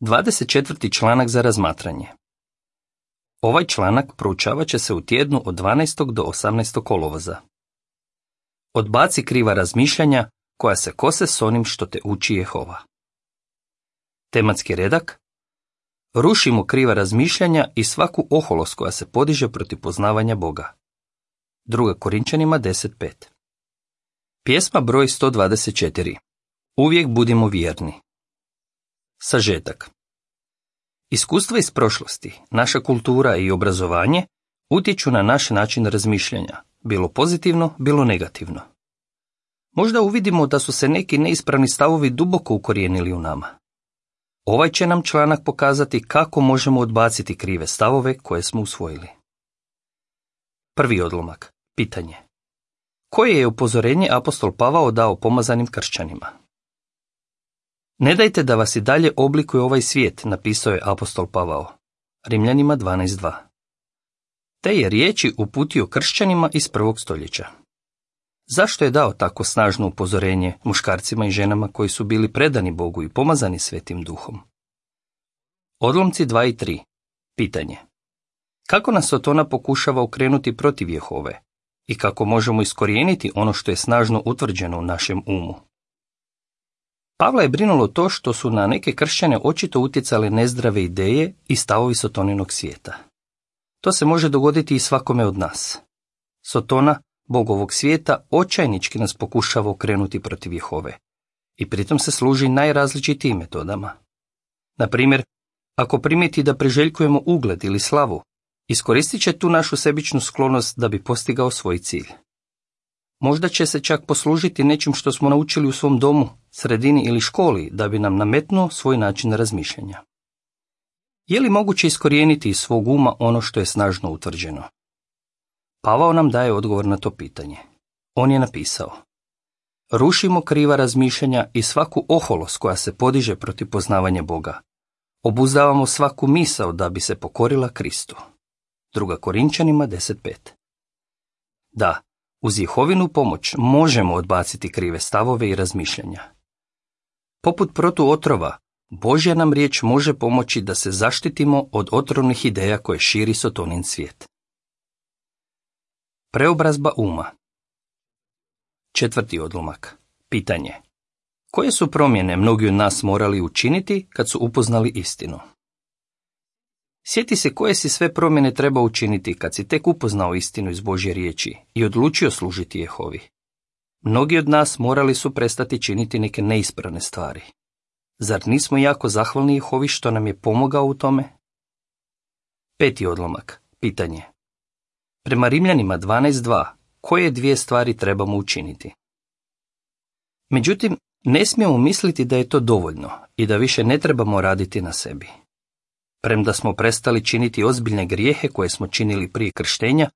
24. članak za razmatranje. Ovaj članak proučavat će se u tjednu od 12. do 18. kolovoza. Odbaci kriva razmišljanja koja se kose s onim što te uči Jehova. Tematski redak: rušimo kriva razmišljanja i svaku oholost koja se podiže protiv poznavanja Boga. 2. Korinčanima 10.5. Pjesma broj 124. Uvijek budimo vjerni. Sažetak. Iskustva iz prošlosti, naša kultura i obrazovanje utječu na naš način razmišljanja, bilo pozitivno, bilo negativno. Možda uvidimo da su se neki neispravni stavovi duboko ukorijenili u nama. Ovaj će nam članak pokazati kako možemo odbaciti krive stavove koje smo usvojili. Prvi odlomak. Pitanje. Koje je upozorenje apostol Pavao dao pomazanim kršćanima? Ne dajte da vas i dalje oblikuje ovaj svijet, napisao je apostol Pavao. Rimljanima 12.2. Te je riječi uputio kršćanima iz 1. stoljeća. Zašto je dao tako snažno upozorenje muškarcima i ženama koji su bili predani Bogu i pomazani Svetim Duhom? Odlomci 2 i 3. Pitanje. Kako nas Sotona pokušava okrenuti protiv Jehove i kako možemo iskorijeniti ono što je snažno utvrđeno u našem umu? Pavla je brinulo to što su na neke kršćane očito utjecale nezdrave ideje i stavovi Sotoninog svijeta. To se može dogoditi i svakome od nas. Sotona, bog ovog svijeta, očajnički nas pokušava okrenuti protiv Jehove i pritom se služi najrazličitijim metodama. Na primjer, ako primijeti da priželjkujemo ugled ili slavu, iskoristit će tu našu sebičnu sklonost da bi postigao svoj cilj. Možda će se čak poslužiti nečim što smo naučili u svom domu, sredini ili školi da bi nam nametnuo svoj način razmišljanja. Je li moguće iskorijeniti iz svog uma ono što je snažno utvrđeno? Pavao nam daje odgovor na to pitanje. On je napisao: rušimo kriva razmišljanja i svaku oholost koja se podiže protiv poznavanja Boga. Obuzdavamo svaku misao da bi se pokorila Kristu. 2. Korinčanima 10.5. Da, uz Jehovinu pomoć možemo odbaciti krive stavove i razmišljanja. Poput protuotrova, Božja nam riječ može pomoći da se zaštitimo od otrovnih ideja koje širi Sotonin svijet. Preobrazba uma. 4. odlomak. Pitanje. Koje su promjene mnogi od nas morali učiniti kad su upoznali istinu? Sjeti se koje si sve promjene treba učiniti kad si tek upoznao istinu iz Božje riječi i odlučio služiti Jehovi. Mnogi od nas morali su prestati činiti neke neispravne stvari. Zar nismo jako zahvalni Jehovi što nam je pomogao u tome? 5. odlomak. Pitanje. Prema Rimljanima 12.2, koje 2 stvari trebamo učiniti? Međutim, ne smijemo misliti da je to dovoljno i da više ne trebamo raditi na sebi. Premda smo prestali činiti ozbiljne grijehe koje smo činili prije krštenja,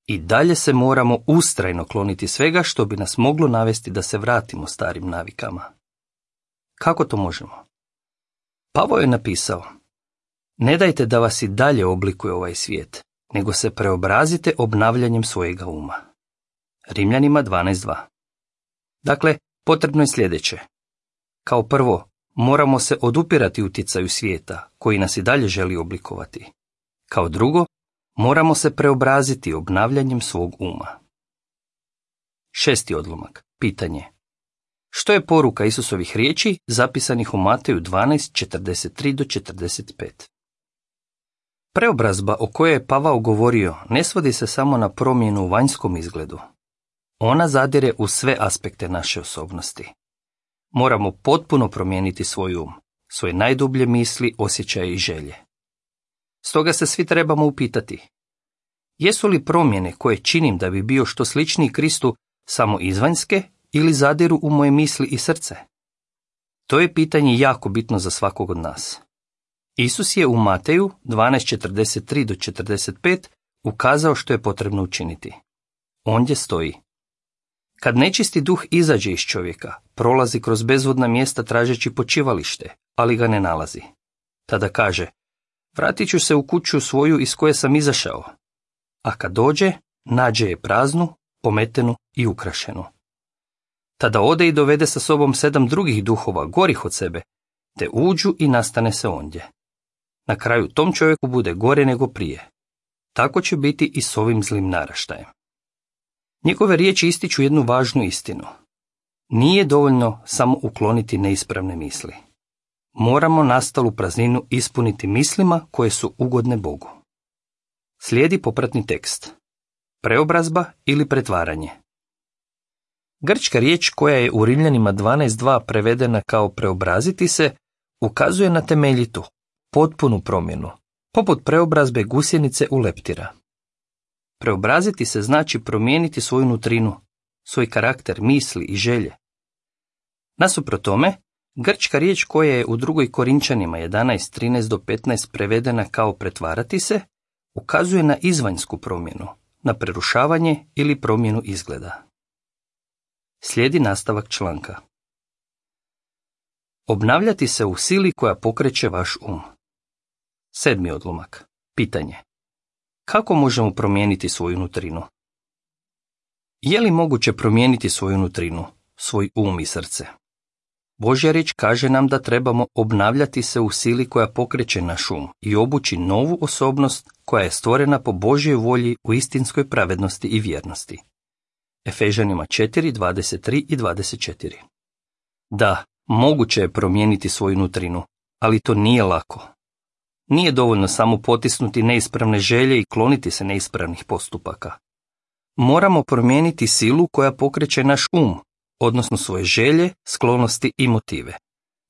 i dalje se moramo ustrajno kloniti svega što bi nas moglo navesti da se vratimo starim navikama. Kako to možemo? Pavao je napisao: ne dajte da vas i dalje oblikuje ovaj svijet, nego se preobrazite obnavljanjem svojega uma. Rimljanima 12.2. Dakle, potrebno je sljedeće. Kao prvo, moramo se odupirati utjecaju svijeta, koji nas i dalje želi oblikovati. Kao drugo, moramo se preobraziti obnavljanjem svog uma. 6. odlomak. Pitanje. Što je poruka Isusovih riječi zapisanih u Mateju 12:43-45? Preobrazba o kojoj je Pavao govorio ne svodi se samo na promjenu u vanjskom izgledu. Ona zadire u sve aspekte naše osobnosti. Moramo potpuno promijeniti svoj um, svoje najdublje misli, osjećaje i želje. Stoga se svi trebamo upitati: jesu li promjene koje činim da bi bio što sličniji Kristu samo izvanjske ili zadiru u moje misli i srce? To je pitanje jako bitno za svakog od nas. Isus je u Mateju 12:43-45 ukazao što je potrebno učiniti. Ondje stoji: kad nečisti duh izađe iz čovjeka, prolazi kroz bezvodna mjesta tražeći počivalište, ali ga ne nalazi. Tada kaže: vratit ću se u kuću svoju iz koje sam izašao. A kad dođe, nađe je praznu, pometenu i ukrašenu. Tada ode i dovede sa sobom 7 drugih duhova, gorih od sebe, te uđu i nastane se ondje. Na kraju tom čovjeku bude gore nego prije. Tako će biti i s ovim zlim naraštajem. Njegove riječi ističu jednu važnu istinu. Nije dovoljno samo ukloniti neispravne misli. Moramo nastalu prazninu ispuniti mislima koje su ugodne Bogu. Slijedi popratni tekst. Preobrazba ili pretvaranje. Grčka riječ koja je u Rimljanima 12.2 prevedena kao preobraziti se, ukazuje na temeljitu, potpunu promjenu, poput preobrazbe gusjenice u leptira. Preobraziti se znači promijeniti svoju nutrinu, svoj karakter, misli i želje. Nasuprot tome, grčka riječ koja je u 2. Korinčanima 11.13-15 prevedena kao pretvarati se, ukazuje na izvanjsku promjenu, na prerušavanje ili promjenu izgleda. Slijedi nastavak članka. Obnavljati se u sili koja pokreće vaš um. 7. odlomak. Pitanje. Kako možemo promijeniti svoju nutrinu? Je li moguće promijeniti svoju nutrinu, svoj um i srce? Božja riječ kaže nam da trebamo obnavljati se u sili koja pokreće naš um i obući novu osobnost koja je stvorena po Božjoj volji u istinskoj pravednosti i vjernosti. Efežanima 4.23 i 24. Da, moguće je promijeniti svoju nutrinu, ali to nije lako. Nije dovoljno samo potisnuti neispravne želje i kloniti se neispravnih postupaka. Moramo promijeniti silu koja pokreće naš um, odnosno svoje želje, sklonosti i motive.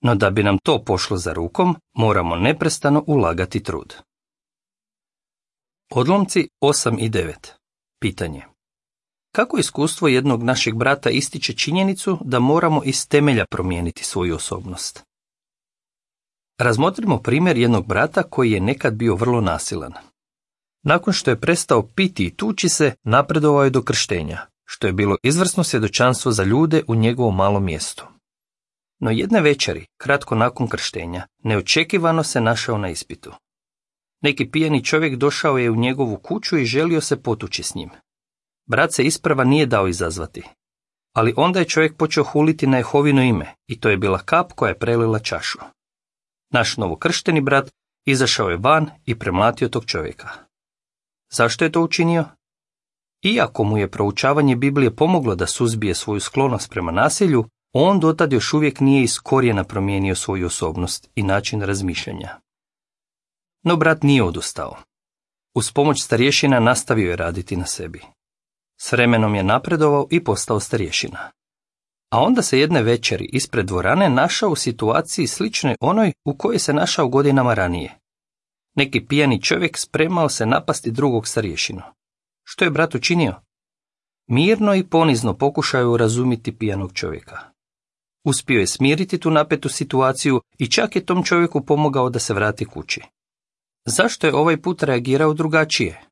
No da bi nam to pošlo za rukom, moramo neprestano ulagati trud. Odlomci 8 i 9. Pitanje. Kako iskustvo jednog našeg brata ističe činjenicu da moramo iz temelja promijeniti svoju osobnost? Razmotrimo primjer jednog brata koji je nekad bio vrlo nasilan. Nakon što je prestao piti i tući se, napredovao je do krštenja, što je bilo izvrsno svjedočanstvo za ljude u njegovom malom mjestu. No jedne večeri, kratko nakon krštenja, neočekivano se našao na ispitu. Neki pijani čovjek došao je u njegovu kuću i želio se potući s njim. Brat se isprva nije dao izazvati, ali onda je čovjek počeo huliti na Jehovino ime i to je bila kap koja je prelila čašu. Naš novokršteni brat izašao je van i premlatio tog čovjeka. Zašto je to učinio? Iako mu je proučavanje Biblije pomoglo da suzbije svoju sklonost prema nasilju, on dotad još uvijek nije iz korijena promijenio svoju osobnost i način razmišljanja. No brat nije odustao. Uz pomoć starješina nastavio je raditi na sebi. S vremenom je napredovao i postao starješina. A onda se jedne večeri ispred dvorane našao u situaciji sličnoj onoj u kojoj se našao godinama ranije. Neki pijani čovjek spremao se napasti drugog starješinu. Što je brat učinio? Mirno i ponizno pokušao urazumiti pijanog čovjeka. Uspio je smiriti tu napetu situaciju i čak je tom čovjeku pomogao da se vrati kući. Zašto je ovaj put reagirao drugačije?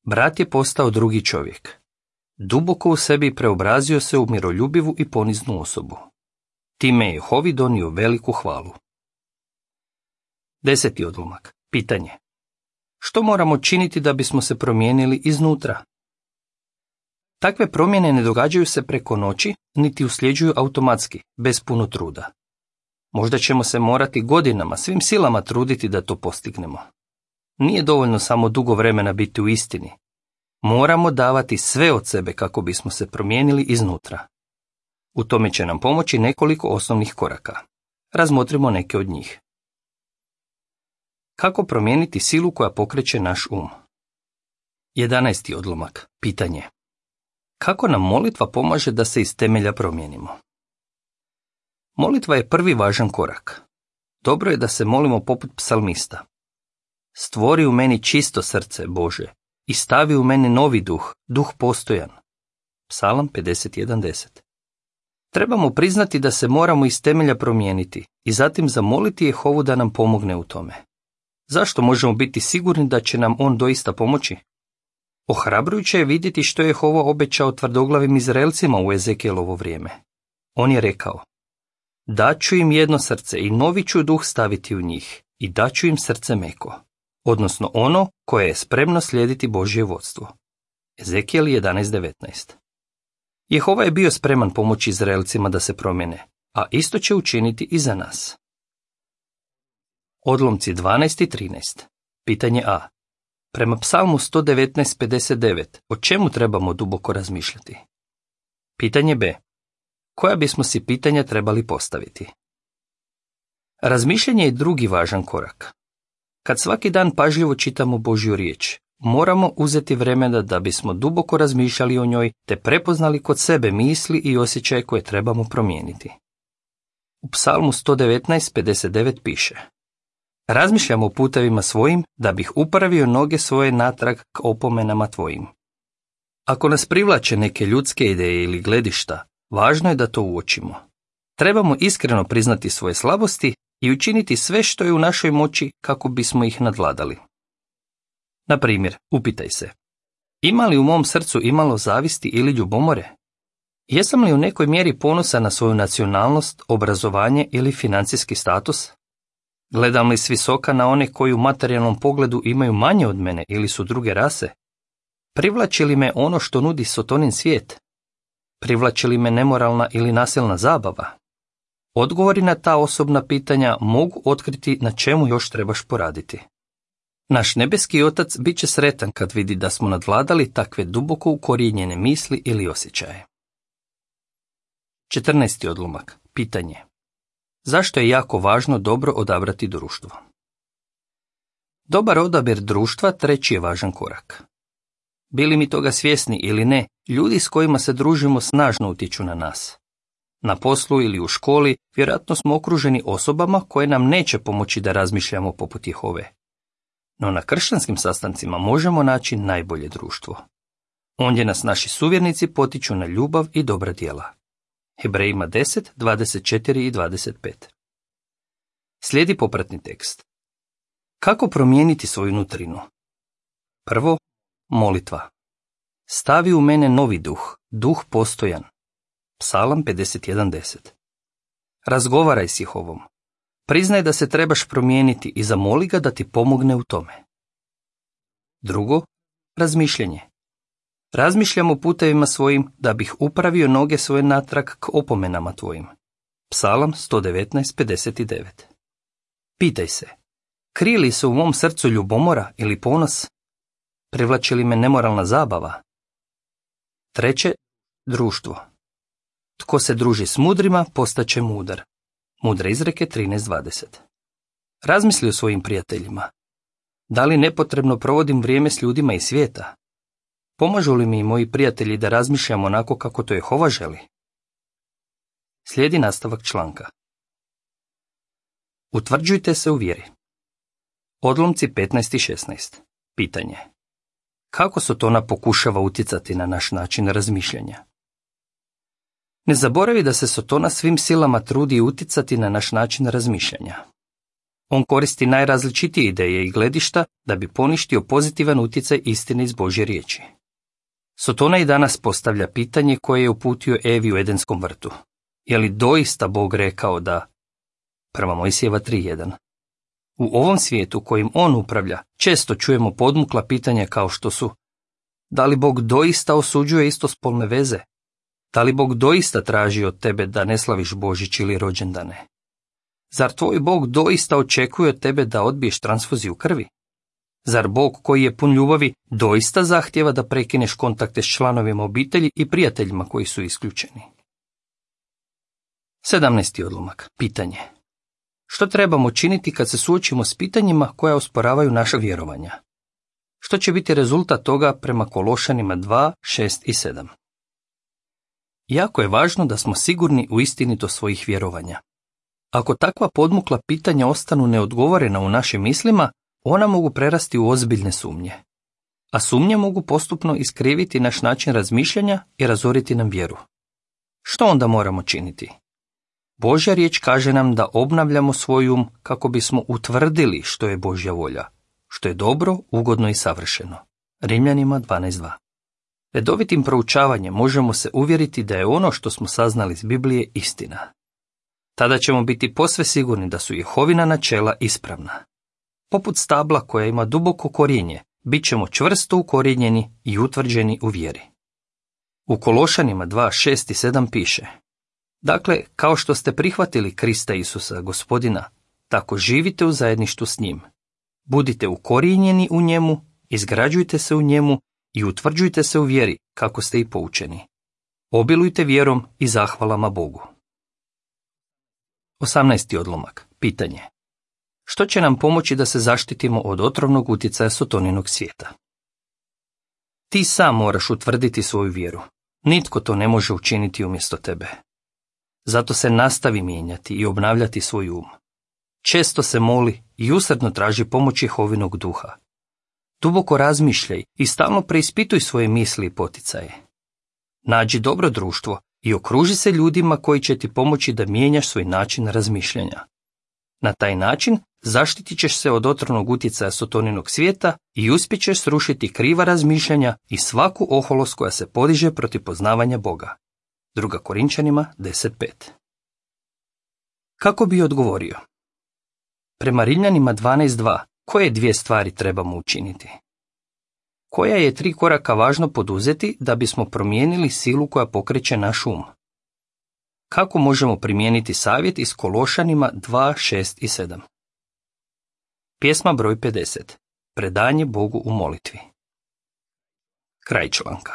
Brat je postao drugi čovjek. Duboko u sebi preobrazio se u miroljubivu i poniznu osobu. Time je Jehovi donio veliku hvalu. 10. odlomak. Pitanje. Što moramo činiti da bismo se promijenili iznutra? Takve promjene ne događaju se preko noći, niti usljeđuju automatski, bez puno truda. Možda ćemo se morati godinama, svim silama truditi da to postignemo. Nije dovoljno samo dugo vremena biti u istini. Moramo davati sve od sebe kako bismo se promijenili iznutra. U tome će nam pomoći nekoliko osnovnih koraka. Razmotrimo neke od njih. Kako promijeniti silu koja pokreće naš um? 11. odlomak. Pitanje. Kako nam molitva pomaže da se iz temelja promijenimo? Molitva je prvi važan korak. Dobro je da se molimo poput psalmista. Stvori u meni čisto srce, Bože, i stavi u mene novi duh, duh postojan. Psalam 51.10. Trebamo priznati da se moramo iz temelja promijeniti i zatim zamoliti Jehovu da nam pomogne u tome. Zašto možemo biti sigurni da će nam on doista pomoći? Ohrabrujuće je vidjeti što je Jehova obećao tvrdoglavim Izraelcima u Ezekielovo vrijeme. On je rekao: daću im jedno srce i novi ću duh staviti u njih i daću im srce meko, odnosno ono koje je spremno slijediti Božje vodstvo. Ezekijel 11.19. Jehova je bio spreman pomoći Izraelcima da se promijene, a isto će učiniti i za nas. Odlomci 12 i 13. Pitanje A. Prema Psalmu 119:59, o čemu trebamo duboko razmišljati? Pitanje B. Koja bismo si pitanja trebali postaviti? Razmišljanje je drugi važan korak. Kad svaki dan pažljivo čitamo Božju riječ, moramo uzeti vremena da bismo duboko razmišljali o njoj te prepoznali kod sebe misli i osjećaje koje trebamo promijeniti. U Psalmu 119:59 piše: Razmišljam o putevima svojim da bih upravio noge svoje natrag k opomenama tvojim. Ako nas privlače neke ljudske ideje ili gledišta, važno je da to uočimo. Trebamo iskreno priznati svoje slabosti i učiniti sve što je u našoj moći kako bismo ih nadvladali. Na primjer, upitaj se: ima li u mom srcu imalo zavisti ili ljubomore? Jesam li u nekoj mjeri ponosan na svoju nacionalnost, obrazovanje ili financijski status? Gledam li s visoka na one koji u materijalnom pogledu imaju manje od mene ili su druge rase? Privlači li me ono što nudi Sotonin svijet? Privlači li me nemoralna ili nasilna zabava? Odgovori na ta osobna pitanja mogu otkriti na čemu još trebaš poraditi. Naš nebeski Otac bit će sretan kad vidi da smo nadvladali takve duboko ukorijenjene misli ili osjećaje. 14. odlomak. Pitanje. Zašto je jako važno dobro odabrati društvo? Dobar odabir društva treći je važan korak. Bili mi toga svjesni ili ne, ljudi s kojima se družimo snažno utječu na nas. Na poslu ili u školi vjerojatno smo okruženi osobama koje nam neće pomoći da razmišljamo poput Jehove. No na kršćanskim sastancima možemo naći najbolje društvo. Ondje nas naši suvjernici potiču na ljubav i dobra djela. Hebrejima 10, 24 i 25. Slijedi popratni tekst. Kako promijeniti svoju nutrinu? Prvo, molitva. Stavi u mene novi duh, duh postojan. Psalam 51:10. Razgovaraj s Jehovom. Priznaj da se trebaš promijeniti i zamoli ga da ti pomogne u tome. Drugo, razmišljanje. Razmišljam o putevima svojim da bih upravio noge svoje natrag k opomenama tvojim. Psalam 119:59. Pitaj se: krije li se u mom srcu ljubomora ili ponos? Privlači li me nemoralna zabava? Treće, društvo. Tko se druži s mudrima, postaće mudar. Mudre izreke 13:20. Razmisli o svojim prijateljima. Da li nepotrebno provodim vrijeme s ljudima iz svijeta? Pomažu li mi moji prijatelji da razmišljam onako kako to Jehova želi? Slijedi nastavak članka. Utvrđujte se u vjeri. Odlomci 15 i 16. Pitanje. Kako Sotona pokušava utjecati na naš način razmišljanja? Ne zaboravi da se Sotona svim silama trudi utjecati na naš način razmišljanja. On koristi najrazličitije ideje i gledišta da bi poništio pozitivan utjecaj istine iz Božje riječi. Sotona i danas postavlja pitanje koje je uputio Evi u Edenskom vrtu. Je li doista Bog rekao da? 1. Mojsijeva 3:1. U ovom svijetu kojim on upravlja, često čujemo podmukla pitanja kao što su: da li Bog doista osuđuje istospolne veze? Da li Bog doista traži od tebe da ne slaviš Božić ili rođendane? Zar tvoj Bog doista očekuje od tebe da odbiješ transfuziju krvi? Zar Bog koji je pun ljubavi doista zahtjeva da prekineš kontakte s članovima obitelji i prijateljima koji su isključeni? 17. odlomak. Pitanje. Što trebamo činiti kad se suočimo s pitanjima koja osporavaju naša vjerovanja? Što će biti rezultat toga prema Kološanima 2, 6 i 7? Jako je važno da smo sigurni u istinitost svojih vjerovanja. Ako takva podmukla pitanja ostanu neodgovorena u našim mislima, ona mogu prerasti u ozbiljne sumnje. A sumnje mogu postupno iskriviti naš način razmišljanja i razoriti nam vjeru. Što onda moramo činiti? Božja riječ kaže nam da obnavljamo svoj um kako bismo utvrdili što je Božja volja, što je dobro, ugodno i savršeno. Rimljanima 12:2. Redovitim proučavanjem možemo se uvjeriti da je ono što smo saznali iz Biblije istina. Tada ćemo biti posve sigurni da su Jehovina načela ispravna. Poput stabla koja ima duboko korijenje, bit ćemo čvrsto ukorijenjeni i utvrđeni u vjeri. U Kološanima 2, 6 i 7 piše: dakle, kao što ste prihvatili Krista Isusa, Gospodina, tako živite u zajedništvu s njim. Budite ukorijenjeni u njemu, izgrađujte se u njemu i utvrđujte se u vjeri kako ste i poučeni. Obilujte vjerom i zahvalama Bogu. 18. odlomak. Pitanje. Što će nam pomoći da se zaštitimo od otrovnog utjecaja Sotoninog svijeta? Ti sam moraš utvrditi svoju vjeru. Nitko to ne može učiniti umjesto tebe. Zato se nastavi mijenjati i obnavljati svoj um. Često se moli i usrdno traži pomoć Jehovinog duha. Duboko razmišljaj i stalno preispituj svoje misli i poticaje. Nađi dobro društvo i okruži se ljudima koji će ti pomoći da mijenjaš svoj način razmišljanja. Na taj način zaštitit ćeš se od otrovnog utjecaja Sotoninog svijeta i uspjećeš srušiti kriva razmišljanja i svaku oholost koja se podiže protiv poznavanja Boga. 2. Korinčanima 10.5. Kako bi odgovorio? Prema Rimljanima 12.2, koje 2 stvari trebamo učiniti? Koja je 3 koraka važno poduzeti da bismo promijenili silu koja pokreće naš um? Kako možemo primijeniti savjet iz Kološanima 2.6 i 7? Pjesma broj 50. Predanje Bogu u molitvi. Kraj članka.